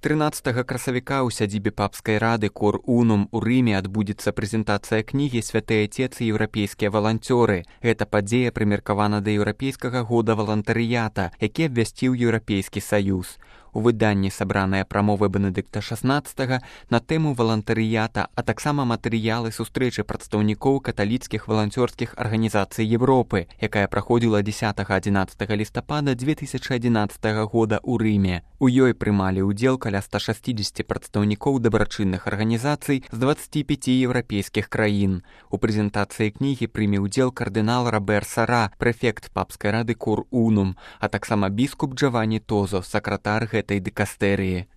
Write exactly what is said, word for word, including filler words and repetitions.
трынаццатага красавіка ў сядзібе папскай рады Cor Unum у Рыме адбудзецца прэзентацыя кнігі «Святыя Отец і еўрапейскія валанцёры». Гэта падзея прымеркавана да еўрапейскага года валантарыята, які абвясціў Еўрапейскі саюз. У выданні сабраныя прамовы Бенедыкта шаснаццатага на тэму валантарыята, а таксама матэрыялы сустрэчы прадстаўнікоў каталіцкіх валанцёрскіх арганізацый Европы, якая праходзіла дзесятага-адзінаццатага лістапада дзве тысячы адзінаццатага года ў Рыме. У ёй прымалі ўдзел каля ста шэсцідзесяці прадстаўнікоў дабрачынных арганізацый з дваццаці пяці еўрапейскіх краін. У прэзентацыі кнігі прыме ўдзел кардынал Робер Сара, прэфект папскай рады Cor Unum, а таксама біскуп Джаванні Тозо, сакратар гэтай дыкастэрыі.